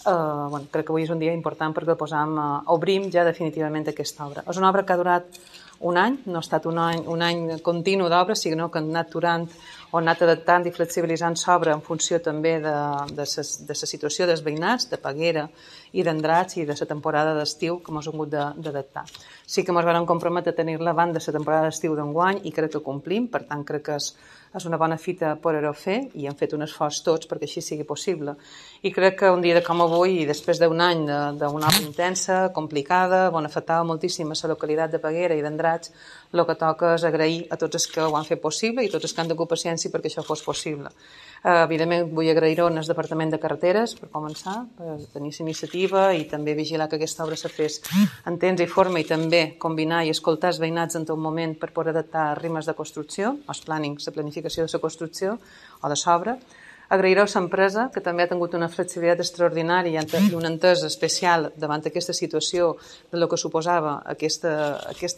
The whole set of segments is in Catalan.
crec que avui és un dia important perquè obrim ja definitivament aquesta obra. És una obra que ha durat un any, no ha estat un any continu d'obra, sinó que han anat durant o han anat adaptant i flexibilitzant l'obra en funció també de la situació dels veïnats, de Peguera i d'Andratx i de la temporada d'estiu que ens hem hagut d'adaptar. Sí que ens vam comprometre a tenir-la abans de la temporada d'estiu d'enguany i crec que complim, per tant crec que és una bona fita poder-ho fer i hem fet un esforç tots perquè així sigui possible. I crec que un dia com avui, i després d'un any d'una obra intensa, complicada, on afectava moltíssim a la localitat de Peguera i d'Andratx, el que toca és agrair a tots els que ho han fet possible i tots els que han tingut paciència perquè això fos possible. Evidentment vull agrair-ho al Departament de Carreteres per començar, per tenir la iniciativa i també vigilar que aquesta obra se fes en temps i forma i també combinar i escoltar els veïnats en tot moment per poder adaptar ritmes de construcció, els plànings de planificació de la construcció o de l'obra. Agrair-ho a l'empresa, que també ha tingut una flexibilitat extraordinària i una entesa especial davant aquesta situació del que suposava aquest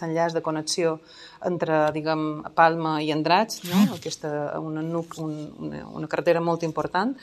enllaç de connexió entre, diguem, Palma i Andratx, no? Una carretera molt important,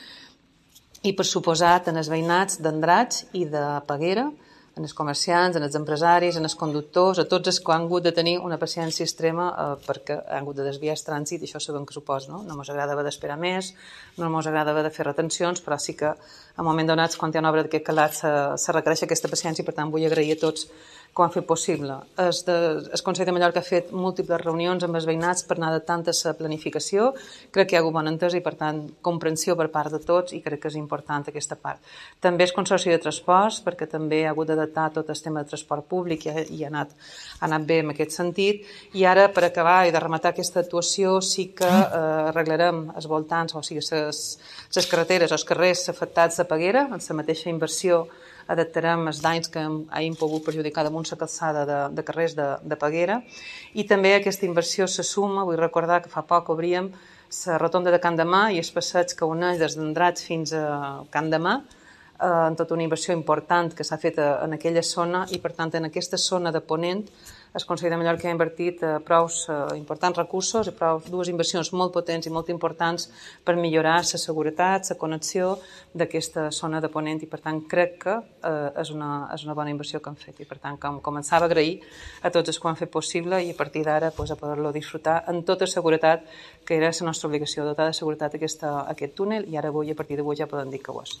i per suposat en els veïnats d'Andratx i de Peguera, en els comerciants, en els empresaris, en els conductors, a tots els que han hagut de tenir una paciència extrema perquè han hagut de desviar el trànsit, i això sabem que suposa, no? No ens agrada haver d'esperar més, no ens agrada haver de fer retencions, però sí que en moment donats, quan hi ha una obra d'aquest calat, se requereix aquesta paciència, i per tant vull agrair a tots que ho han fet possible. El Consell de Mallorca ha fet múltiples reunions amb els veïnats per anar adaptant a la planificació. Crec que hi ha hagut bona entesa i, per tant, comprensió per part de tots, i crec que és important aquesta part. També el Consorci de Transports, perquè també ha hagut d'adaptar tot el tema de transport públic i ha anat bé en aquest sentit. I ara, per acabar i de rematar aquesta actuació, sí que arreglarem els voltants, o sigui, les carreteres, els carrers afectats de Peguera, en la mateixa inversió adaptarem els danys que hagin pogut perjudicar damunt la calçada de carrers de Peguera, i també aquesta inversió se suma, vull recordar que fa poc obríem la rotonda de Can Demà i els passeigs que uneix des d'Andratx fins a Can Demà, en tota una inversió important que s'ha fet en aquella zona, i per tant en aquesta zona de Ponent el Consell de Mallorca ha invertit prou importants recursos i dues inversions molt potents i molt importants per millorar la seguretat, la connexió d'aquesta zona de Ponent, i per tant crec que és una bona inversió que han fet, i per tant començava a agrair a tots els que ho han fet possible, i a partir d'ara a poder-lo disfrutar en tota seguretat, que era la nostra obligació, dotar de seguretat aquest túnel, i ara avui, a partir d'avui, ja podem dir que ho és.